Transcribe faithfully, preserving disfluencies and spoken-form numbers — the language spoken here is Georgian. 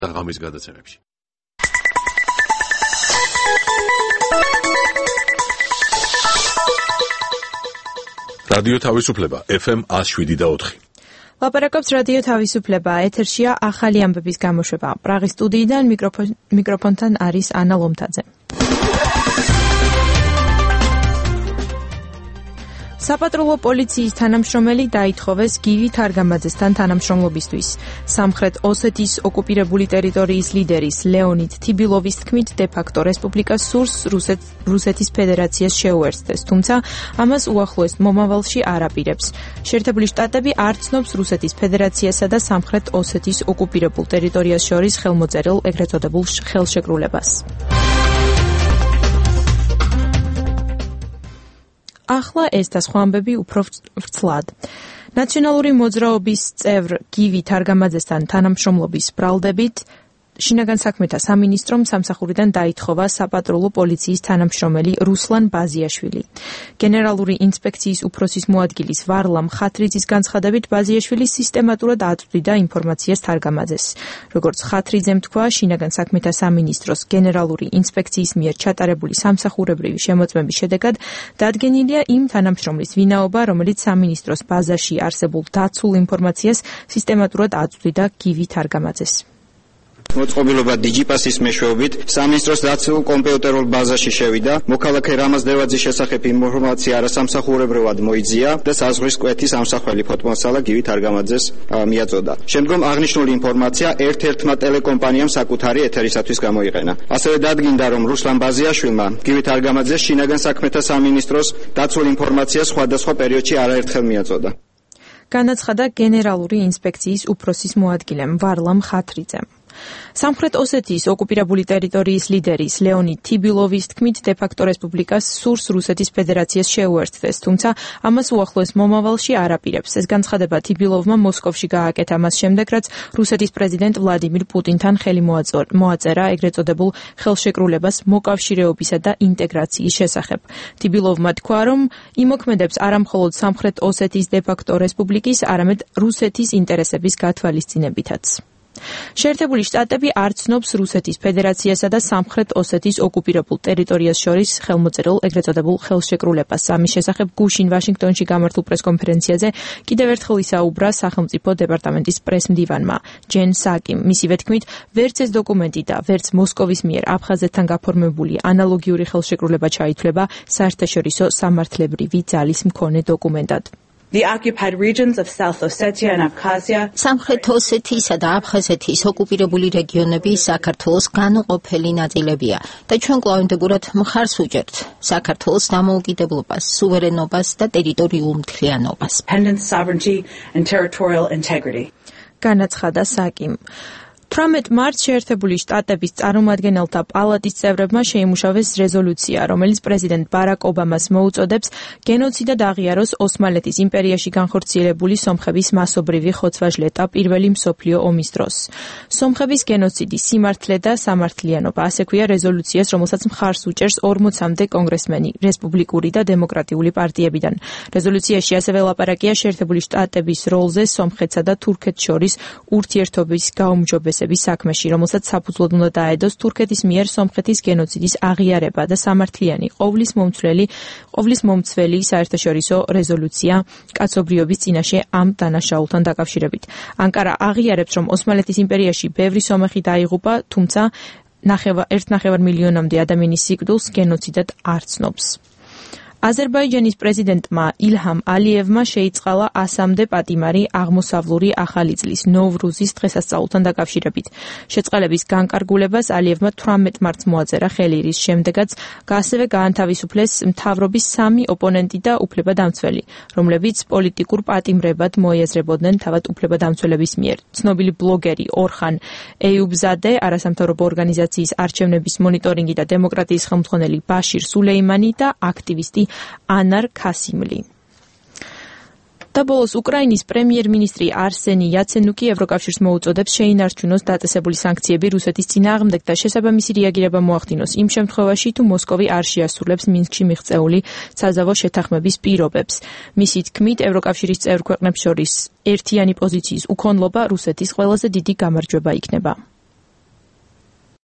ღამის გადაცემებში. რადიო თავისუფლება ეფ ემ one oh seven point four. ლაპარაკობს რადიო თავისუფლება, ეთერშია ახალი ამბების გამოშვება. პრაღის სტუდიიდან მიკროფონთან არის ანა ლომთაძე. საპატრულო პოლიციის თანამშრომელი დაითხოვეს გივი თარგამაძესთან თანამშრომლობისთვის. სამხრეთ ოსეთის ოკუპირებული ტერიტორიის ლიდერის ლეონიდ თიბილოვის თქმით, დე-ფაქტო რესპუბლიკა სურს რუსეთის ფედერაციას შეუერთდეს, თუმცა ამას უახლოეს მომავალში არ აპირებს. შეერთებული შტატები არ ცნობს რუსეთის ფედერაციასა და სამხრეთ ოსეთის ოკუპირებულ ტერიტორიას შორის ხელმოწერილ ეგრეთ წოდებულ ხელშეკრულებას. ახლა ეს და სხვა ამბები უფრო ვრცლად. ნაციონალური მოძრაობის წევრ გივი თარგამაძესთან თანამშრომლობის ბრალდებით შინაგან საქმეთა სამინისტრომ სამსახურიდან დაითხოვა საპატრულო პოლიციის თანამშრომელი რუსლან ბაზიაშვილი. გენერალური ინსპექციის უფროსის მოადგილის ვარლამ ხათრიძის განცხადებით, ბაზიაშვილი სისტემატურად აწვდიდა ინფორმაციას თარგამაძეს. როგორც ხათრიძემ თქვა, შინაგან საქმეთა სამინისტროს გენერალური ინსპექციის მიერ ჩატარებული სამსახურებრივი შემოწმების შედეგად დადგენილია იმ თანამშრომლის ვინაობა, რომელიც სამინისტროს ბაზაში არსებულ დაცულ ინფორმაციას სისტემატურად აწვდიდა გივი თარგამაძეს. მოწყობილობა დიჯიპასის მეშვეობით სამინისტროს დაცულ კომპიუტერულ ბაზაში შევიდა, მოქალაქე რამაზ დევაძის შესახებ ინფორმაცია არასამსახურებრივად მოიძია და საზღვრის კვეთის ამსახველი ფოტომოსალა გივი თარგამაძეს მიაწოდა. შემდგომ აღნიშნული ინფორმაცია ერთ-ერთმა ტელეკომპანიამ საკუთარი ეთერისათვის გამოიყენა. ასევე დადგინდა, რომ რუსლან ბაზიაშვილმა გივი თარგამაძეს შინაგან საქმეთა სამინისტროს დაცულ ინფორმაციას სხვადასხვა პერიოდში არაერთხელ მიაწოდა. განაცხადა გენერალური ინსპექციის უფროსის მოადგილემ ვარლამ ხათრიძემ. სამხრეთ ოსეთის ოკუპირებული ტერიტორიის ლიდერის ლეონიდ თიბილოვის თქმით, დე-ფაქტო რესპუბლიკას სურს რუსეთის ფედერაციას შეუერთდეს, თუმცა ამას უახლოეს მომავალში არ აპირებს. ეს განცხადება თიბილოვმა მოსკოვში გააკეთა მას შემდეგ, რაც რუსეთის პრეზიდენტ ვლადიმირ პუტინთან ხელი მოაწერა ეგრეთ წოდებულ ხელშეკრულებას მოკავშირეობისა და ინტეგრაციის შესახებ. თიბილოვმა თქვა, რომ იმოქმედებს არამხოლოდ სამხრეთ ოსეთის დე-ფაქტო რესპუბლიკის, არამედ რუსეთის ინტერესების გათვალისწინებითაც. შეერთებული შტატები არ ცნობს რუსეთის ფედერაციასა და სამხრეთ ოსეთის ოკუპირებულ ტერიტორიას შორის ხელმოწერილ ეგრეთ წოდებულ ხელშეკრულებას. ამის შესახებ გუშინ ვაშინგტონში გამართულ პრესკონფერენციაზე კიდევ ერთხელ ისაუბრა სახელმწიფო დეპარტამენტის პრესმდივანმა ჯენ საკიმ. მისივე თქმით, ვერც ეს დოკუმენტი და ვერც მოსკოვის მიერ აფხაზეთთან გაფორმებული ანალოგიური ხელშეკრულება ჩაითვლება საერთაშორისო სამართლებრივი ძალის მქონე დოკუმენტად. The occupied regions of South Ossetia and Abkhazia სამხრეთ ოსეთისა და აფხაზეთის ოკუპირებული რეგიონები საქართველოს განუყოფელი ნაწილებია და ჩვენ კვლავინდებურად მხარს ვუჭერთ საქართველოს დამოუკიდებლობას, სუვერენობას და ტერიტორიულ მთლიანობას. Independence, sovereignty and territorial integrity. განაცხადა საკიმ. თვრამეტ მარტს შეერთებული შტატების წარმომადგენელთა პალატის წევრებმა შეიმუშავეს რეზოლუცია, რომელიც პრეზიდენტ ბარაკ ობამას მოუწოდებს გენოციდად აღიაროს ოსმალეთის იმპერიაში განხორციელებული სომხების მასობრივი ხოცვა-ჟლეტა პირველი მსოფლიო ომის დროს. სომხების გენოციდი, სიმართლე და სამართლიანობა, ასე ქვია რეზოლუციას, რომელსაც მხარს უჭერს ორმოცამდე კონგრესმენი რესპუბლიკური და დემოკრატიული პარტიებიდან. რეზოლუციაში ასევე ლაპარაკია შეერთებული შტატების როლზე სომხეთსა და თურქეთს შორის ურთიერთობის გაუმჯობესებას საქმეში, რომელსაც საფუძვლად უნდა დაედოს თურქეთის მიერ სომხეთის გენოციდის აღიარება და სამართლიანი ყოვლის მომცველი ყოვლის მომცველი საერთაშორისო რეზოლუცია კაცობრიობის წინაშე ამ დანაშაულთან დაკავშირებით. ანკარა აღიარებს, რომ ოსმალეთის იმპერიაში ბევრი სომეხი დაიღუპა, თუმცა ერთ ნახევარ მილიონამდე ადამიანის სიკვდილს გენოციდად არ ცნობს. აზერბაიჯანის პრეზიდენტმა ილჰამ ალიევმა შეიწყალა ასამდე პატიმარი აღმოსავლური ახალი წლის ნოვრუზის დღესასწაულთან დაკავშირებით. შეწყალების განკარგულებას ალიევმა თვრამეტ მარტს მოაწერა ხელი, რის შემდეგაც ასევე გაანთავისუფლეს მთავრობის სამი ოპონენტი და უფლებადამცველი, რომლებიც პოლიტიკურ პატიმრებად მოიაზრებოდნენ თავად უფლებადამცველების მიერ. ცნობილი ბლოგერი ორხან ეიუბზადე, არასამთავრობო ორგანიზაციის არჩევნების მონიტორინგი და დემოკრატიის ხელმძღვანელი ბაშირ სულეიმანი და აქტივისტი ანარ ქასიმლი. და ბოლოს უკრაინის პრემიერ-მინისტრი არსენი იაცენუკი ევროკავშირს მოუწოდებს შეინარჩუნოს დაწესებული სანქციები რუსეთის წინააღმდეგ და შესაბამისი რეაგირება მოახდინოს იმ შემთხვევაში, თუ მოსკოვი არ შეასრულებს მინსკში მიღწეული საზავო შეთანხმების პირობებს. მისი თქმით, ევროკავშირის წევრ ქვეყნებს შორის ერთიანი პოზიციის უქონლობა რუსეთის ყველაზე დიდი გამარჯვება იქნება.